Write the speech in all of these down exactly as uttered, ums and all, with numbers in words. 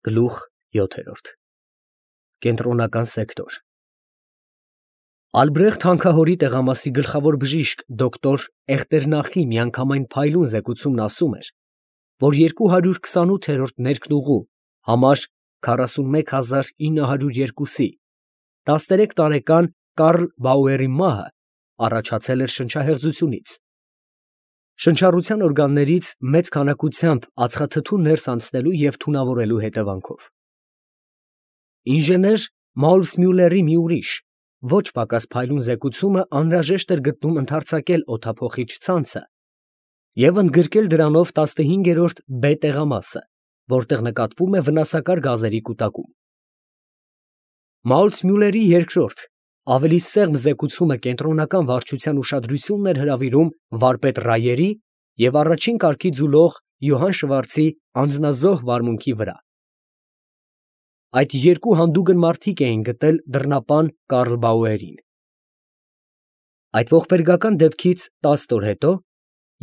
Գլուխ յոթերորդ Կենտրոնական սեկտոր Ալբրեխտ հանքահորի տեղամասի գլխավոր բժիշկ դոկտոր Էղտերնախի միանգամայն փայլուն զեկուցումն ասում էր, որ երկու հարյուր քսանութերորդ ներքնուղու համար քառասունմեկ հազար ինը հարյուր երկուսի տասներեք տարեկան Կարլ Բաուերի մահը առաջացել էր շնչահեղձությունից, շնչառության օրգաններից մեծ քանակությամբ ածխաթթու ներս անցնելու և թունավորելու հետևանքով։ Ինժեներ Մաուրսմյուլլերի մի ուրիշ, ոչ պակաս փայլուն զեկուցումը անհրաժեշտ էր գտնում ընդարձակել օդափոխիչ ցանցը և ընդգրկել դրանով տասնհինգերորդ B տեղամասը, որտեղ նկատվում է վնասակար գազերի կուտակում։ Մաուրսմյուլլերի երկրորդ, ավելի սեղմ զեկուցումը կենտրոնական վարչության ուշադրությունն էր հրավիրում վարպետ Ռայերի և առաջին կարգի ձուլող Յոհան Շվարցի անձնազոհ վարմունքի վրա։ Այդ երկու հանդուգն մարդիկ էին գտել դռնապան Կարլ Բաուերին։ Այդ ողբերգական դեպքից տասը օր հետո,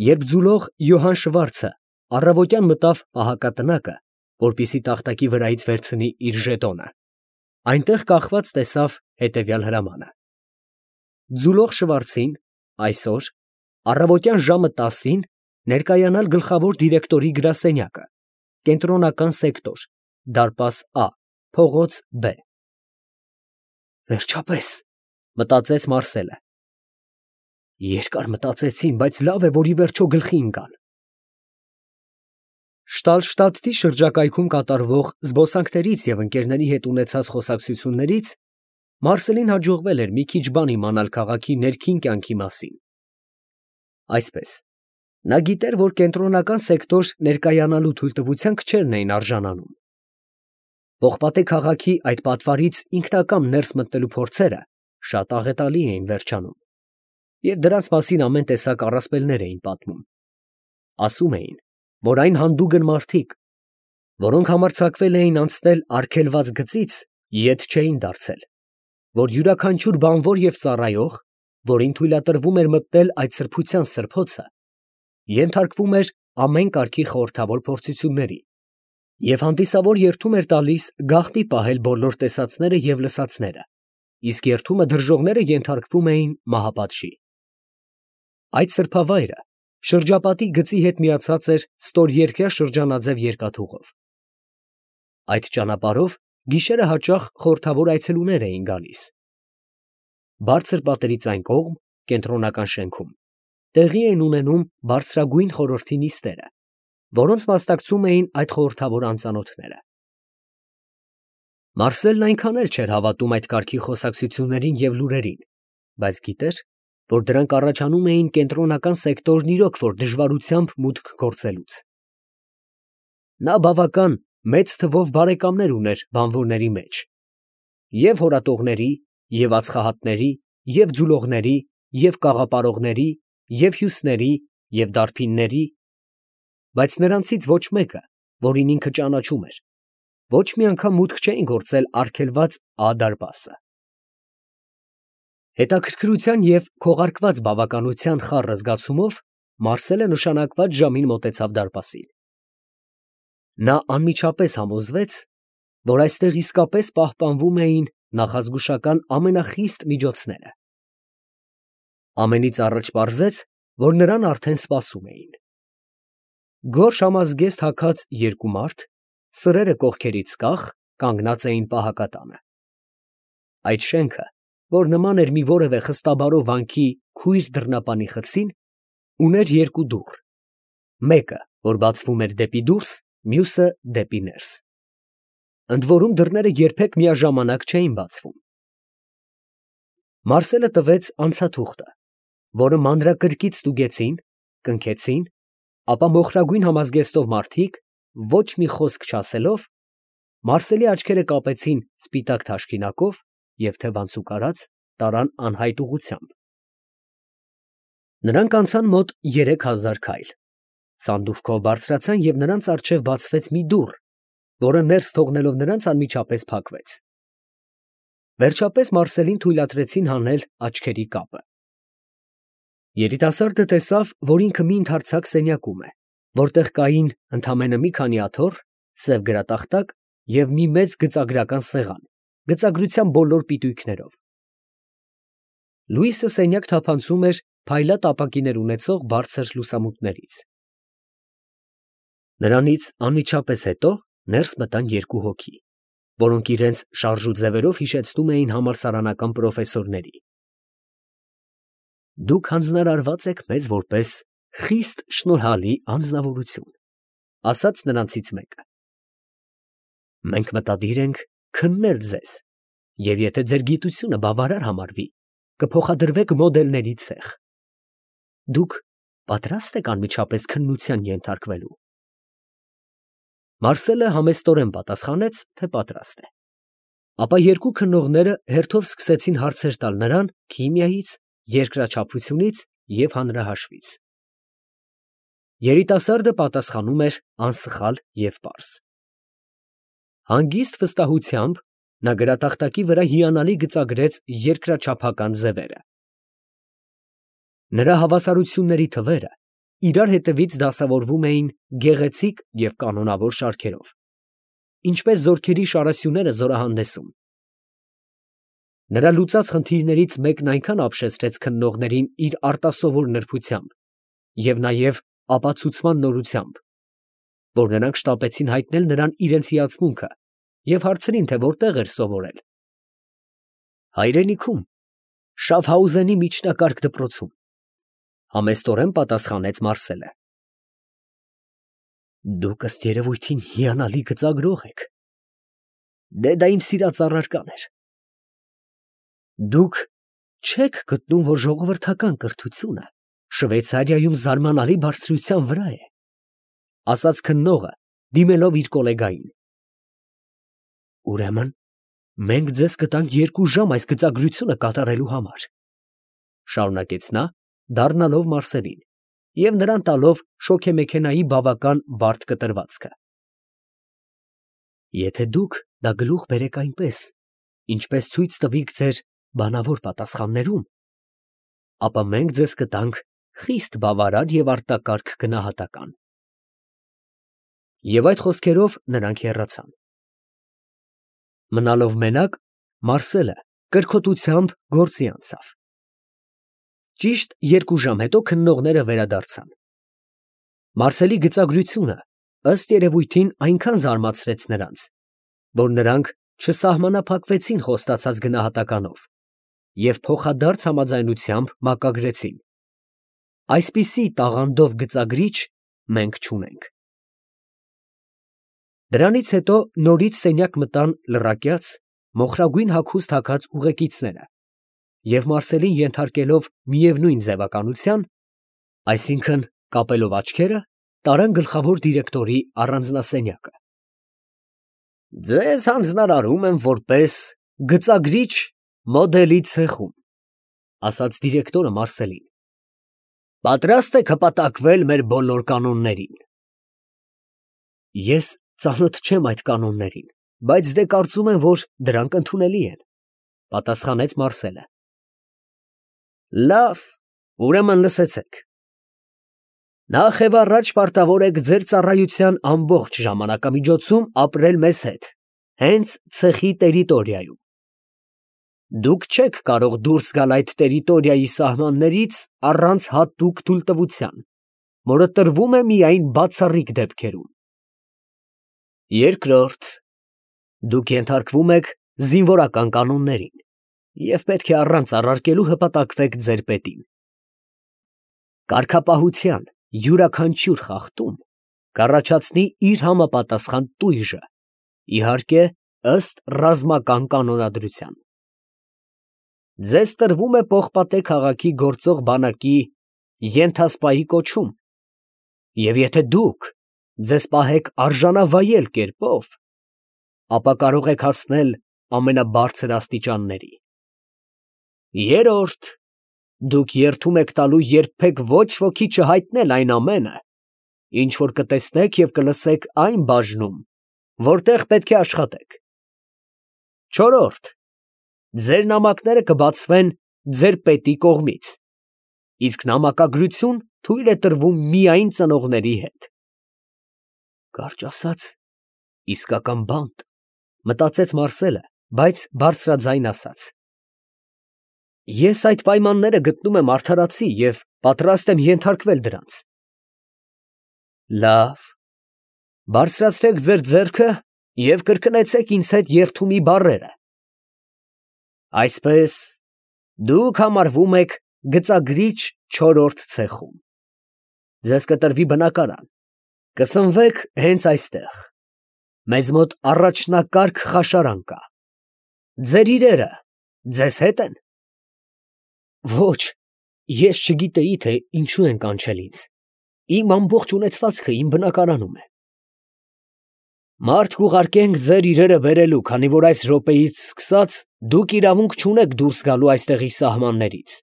երբ ձուլող Յոհան Շվարցը առավոտյան մտավ պահակատնակը, որպեսզի տախտակի վրայից վերցնի իր ժետոնը, այնտեղ կախված տեսավ հետևյալ հրամանը. ձուլող Շվարցին այսօր առավոտյան ժամը տասին ներկայանալ գլխավոր դիրեկտորի գրասենյակը, կենտրոնական սեկտոր, դարպաս Ա, փողոց Բ։ Վերջապես, մտածեց Մարսելը։ Երկար մտածեցին, բայց լավ է, որ ի վերջո գլխի ընկան։ Շտալշտադտի շրջակայքում կատարվող զբոսանքներից և ընկերների հետ ունեցած խոսակցություններից Մարսելին հաջողվել էր մի քիչ բան իմանալ քաղաքի ներքին կյանքի մասին։ Այսպես, նա գիտեր, որ կենտրոնական սեկտոր ներկայանալու թույլտվության քչերն էին արժանանում։ Պողպատե քաղաքի այդ պատվարից ինքնակամ ներս մտնելու փորձերը շատ աղետալի էին վերջանում, և դրանց մասին ամեն տեսակ առասպելներ էին պատմում։ Ասում էին, որ այն հանդուգն մարդիկ, որոնք համարձակվել էին անցնել արգելված գծից, ետ չէին դարձել, որ յուրաքանչյուր բանվոր և ծառայող, որին թույլատրվում էր մտնել այդ սրբության սրբոցը, ենթարկվում էր ամեն կարգի խորհրդավոր փորձությունների, և հանդիսավոր երդում էր տալիս գաղտնի պահել բոլոր տեսածները և լսածները, իսկ երդումը դրժողները ենթարկվում էին մահապատժի։ Այդ սրբավայրը շրջապատի գծի հետ միացած էր ստորերկրյա շրջանաձև երկաթուղով։ Այդ ճանապարհով գիշերը հաճախ խորհրդավոր այցելուներ էին գալիս։ Բարձր պատերից այն կողմ, կենտրոնական շենքում, տեղի էին ունենում բարձրագույն խորհրդի նիստերը, որոնց մասնակցում էին այդ խորհրդավոր անծանոթները։ Մարսելն այնքան էլ չէր հավատում այդ կարգի խոսակցություններին և լուրերին, բայց գիտեր, որ դրանք առաջանում էին կենտրոնական սեկտորն իրոք որ դժվարությամբ մուտք գործելուց։ Նա բավական մեծ թվով բարեկամներ ուներ բանվորների մեջ, և հորատողների, և ածխահատների, և ձուլողների, և կաղապարողների, և հյուսների, և դարբինների, բայց նրանցից ոչ մեկը, որին ինքը ճանաչում էր, ոչ մի անգամ մուտք չէին գործել արգելված Ա դարպասը։ Հետաքրքրության և քողարկված բավականության խառը զգացումով Մարսելը նշանակված ժամին մոտեցավ դարպասին։ Նա անմիջապես համոզվեց, որ այստեղ իսկապես պահպանվում էին նախազգուշական ամենախիստ միջոցները։ Ամենից առաջ պարզեց, որ նրան արդեն սպասում էին։ Գորշ համազգեստ հագած երկու մարդ, սրերը կողքերից կախ, կանգնած էին պահակատանը։ Այդ շենքը, որ նման էր մի որևէ խստաբարով վանքի քույր դռնապանի խցին, ուներ երկու դուռ, մեկը, որ բացվում էր դեպի դուրս, մյուսը դեպի ներս։ Ընդ որում դռները երբեք միաժամանակ չէին բացվում։ Մարսելը տվեց անցաթուղթը, որը մանրակրկիտ ստուգեցին, կնքեցին, ապա մոխրագույն համազգեստով մարդիկ, ոչ մի խոսք չասելով, Մարսելի աչքերը կապեցին սպիտակ թաշկինակով և թևանցուկ արած տարան անհայտ ուղղությամբ։ Նրանք անցան մոտ երեք հազար քայլ, սանդուղքով բարձրացան և նրանց առջև բացվեց մի դուռ, որը ներս թողնելով նրանց անմիջապես փակվեց։ Վերջապես Մարսելին թույլատրեցին հանել աչքերի կապը։ Երիտասարդը տեսավ, որ ինքը մի ընդարձակ սենյակում է, որտեղ կային ընդամենը մի քանի աթոռ, սև գրատախտակ և մի մեծ գծագրական սեղան, գծագրության բոլոր պիտույքներով։ Լուիսը սենյակ թափանցում էր փայլատ ապակիներ ունեցող բարձր լուսամուտներից։ Նրանից անմիջապես հետո ներս մտան երկու հոգի, որոնք իրենց շարժու ձևերով հիշեցնում էին համալսարանական պրոֆեսորների։ Դուք հանձնարարված եք մեզ որպես խիստ շնորհալի անձնավորություն, ասաց նրանցից մեկը։ Մենք մտադիր ենք քննել ձեզ, և եթե ձեր գիտությունը բավարար համարվի, կփոխադրվեք մոդելների ցեխ։ Դուք պատրաստ եք անմիջապես քննության ենթարկվելու։ Մարսելը համեստորեն պատասխանեց, թե պատրաստ է։ Ապա երկու քննողները հերթով սկսեցին հարցեր տալ նրան քիմիայից, երկրաչափությունից և հանրահաշվից։ Երիտասարդը պատասխանում էր անսխալ և պարզ։ Հանգիստ վստահությամբ նա գրատախտակի վրա հիանալի գծագրեց երկրաչափական ձևերը։ Նրա հավասարությունների թվերը իրար հետևից դասավորվում էին գեղեցիկ և կանոնավոր շարքերով, ինչպես զորքերի շարասյուները զորահանդեսում։ Նրա լուծած խնդիրներից մեկն այնքան ապշեցրեց քննողներին իր արտասովոր նրբությամբ և նաև ապացուցման նորությամբ, որ նրանք շտապեցին հայտնել նրան իրենց հիացմունքը և հարցրին, թե որտեղ էր սովորել։ Հայրենիքում, Շաֆհաուզենի միջնակարգ դպրոցում, համեստորեն պատասխանեց Մարսելը։ Դուք ըստ երևույթին հիանալի գծագրող եք։ Դե դա իմ սիրած առարական էր։ Դուք չեք գտնում, որ ժողովրդական կրթությունը Շվեյցարիայում զարմանալի բարձրության վրա է, ասաց քննողը, դիմելով իր գոլեգային։ Ուրեմն մենք ձեզ կտանք երկու ժամ այս գծագրությունը կատարելու համար, շարունակեց նա, դառնալով Մարսելին և նրան տալով շոգեմեքենայի բավական բարդ կտրվածքը։ Եթե դուք դա գլուխ բերեք այնպես, ինչպես ցույց տվիք ձեր բանավոր պատասխաններում, ապա մենք ձեզ կտանք խիստ բավարար և արտակարգ գնահատական։ Եվ այդ խոսքերով նրանք հեռացան։ Մնալով մենակ, Մարսելը կրքոտությամբ գործի անցավ։ Ճիշտ երկու ժամ հետո քննողները վերադարձան։ Մարսելի գծագրությունը ըստ երևույթին այնքան զարմացրեց նրանց, որ նրանք չսահմանափակվեցին խոստացած գնահատականով և փոխադարձ համաձայնությամբ մակագրեցին. այսպիսի տաղանդով գծագրիչ մենք չունենք։ Դրանից հետո նորից սենյակ մտան լռակյաց, մոխրագույն հագուստ հագած ուղեկիցները և Մարսելին ենթարկելով միևնույն ձևականության, այսինքն կապելով աչքերը, տարան գլխավոր դիրեկտորի առանձնասենյակը։ Ձեզ հանձնարարում եմ որպես գծագրիչ մոդելի ցեխում, ասաց դիրեկտորը Մարսելին։ Պատրաստ եք հպատակվել մեր բոլոր կանոններին։ Ես ծանոթ չեմ այդ կանոններին, բայց դե կարծում եմ, որ դրանք ընդունելի են, պատասխանեց Մարսելը։ Լավ, ուրեմն լսեցեք։ Նախ և առաջ պարտավոր եք ձեր ծառայության ամբողջ ժամանակամիջոցում ապրել մեզ հետ, հենց ցեխի տերիտորիայում։ Դուք չեք կարող դուրս գալ այդ տերիտորիայի սահմաններից առանց հատուկ թույլտվության, որը տրվում է միայն բացառիկ դեպքերում։ Երկրորդ, դուք ենթարկվում եք զինվորական կանոններին և պետք է առանց առարկելու հպատակվեք ձեր պետին։ Կարգապահության յուրաքանչյուր խախտում կառաջացնի իր համապատասխան տույժը, իհարկե, ըստ ռազմական կանոնադրության։ Ձեզ տրվում է Պողպատե քաղաքի գործող բանակի ենթասպայի կոչում, և եթե դուք ձեզ պահեք արժանավայել կերպով, ապա կարող եք հասնել ամենաբարձր աստիճանների։ Երրորդ, դուք երդում եք տալու երբեք ոչ ոքի չհայտնել այն ամենը, ինչ որ կտեսնեք և կլսեք այն բաժնում, որտեղ պետք է աշխատեք։ Չորրորդ, ձեր նամակները կբացվեն ձեր պետի կողմից, իսկ նամակագրություն թույլ է տրվում միայն ծնողների հետ։ Կարճ ասած, իսկական բանտ։ Մտածեց Մարսելը, բայց բարձրաձայն ասաց. Ես այդ պայմանները գտնում եմ արդարացի և պատրաստ եմ ենթարկվել դրանց։ Լավ, բարձրացրեք ձեր ձեռքը և կրկնեցեք ինձ հետ երդումի բառերը։ Այսպես, դուք համարվում եք գծագրիչ չորրորդ ցեխում։ Ձեզ կտրվի բնակարան, կսնվեք հենց այստեղ, մեզ մոտ առաջնակարգ խաշարան կա։ Ձեր իրերը ձեզ հետ են։ Ոչ, ես չգիտեի, թե ինչու են կանչել ինձ, իմ ամբողջ ունեցվածքը իմ բնակարանում է։ Մարդ կուղարկենք ձեր իրերը բերելու, քանի որ այս րոպեից սկսած դուք իրավունք չունեք դուրս գալու այստեղի սահմաններից։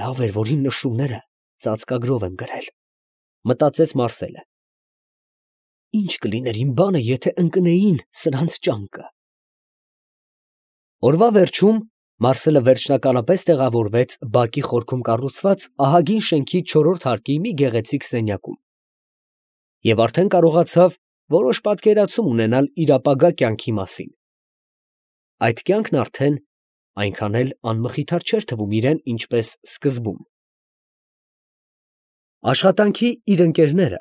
Լավ էր, որ իմ նշումները ծածկագրով եմ գրել, մտածեց Մարսելը։ Ինչ կլիներ իմ բանը, եթե ընկնեին սրանց ճանկը։ Օրվա վերջում Մարսելը վերջնականապես տեղավորվեց բակի խորքում կառուցված ահագին շենքի չորրորդ հարկի մի գեղեցիկ սենյակում և արդեն կարողացավ որոշ պատկերացում ունենալ իր ապագա կյանքի մասին։ Այդ կյանքն արդեն այնքան էլ անմխիթար չէր թվում իրան, ինչպես սկզբում։ Աշխատանքի իր ընկերները,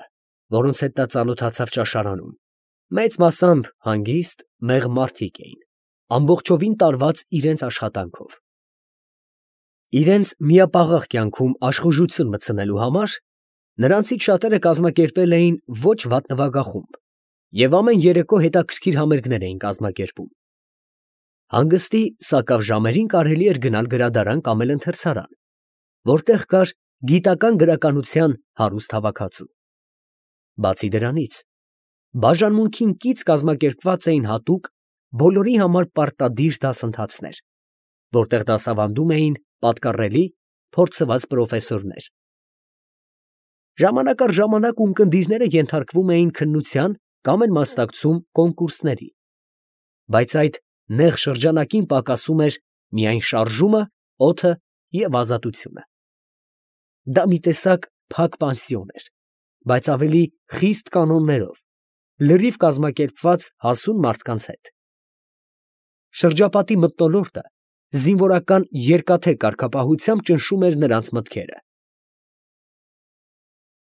որոնց հետ նա ծանոթացավ ճաշարանում, մեծ մասամբ հանգիստ, մեղմ մարդիկ էին, ամբողջովին տարված իրենց աշխատանքով։ Իրենց միապաղաղ կյանքում աշխուժություն մտցնելու համար նրանցից շատերը կազմակերպել էին ոչ վատ նվագախումբ և ամեն երեկո հետաքրքիր համերգներ էին կազմակերպում։ Հանգստի սակավ ժամերին կարելի էր գնալ գրադարան կամ էլ ընթերցարան, որտեղ կար գիտական գրականության հարուստ հավաքածու։ Բացի դրանից, բաժանմունքին կից կազմակերպված էին հատուկ բոլորի համար պարտադիր դասընթացներ, որտեղ դասավանդում էին պատկառելի, փորձված պրոֆեսորներ։ Ժամանակ առ ժամանակ ունկնդիրները ենթարկվում էին քննության կամ էլ մասնակցում կոնկուրսների, բայց այդ նեղ շրջանակին պակասում էր միայն շարժումը, օդը և ազատությունը։ Դա մի տեսակ փակ պանսիոն էր, բայց ավելի խիստ կանոններով, լրիվ կազմակերպված հասուն մարդկանց հետ։ Շրջապատի մթնոլորտը զինվորական երկաթե կարգապահությամբ ճնշում էր նրանց մտքերը։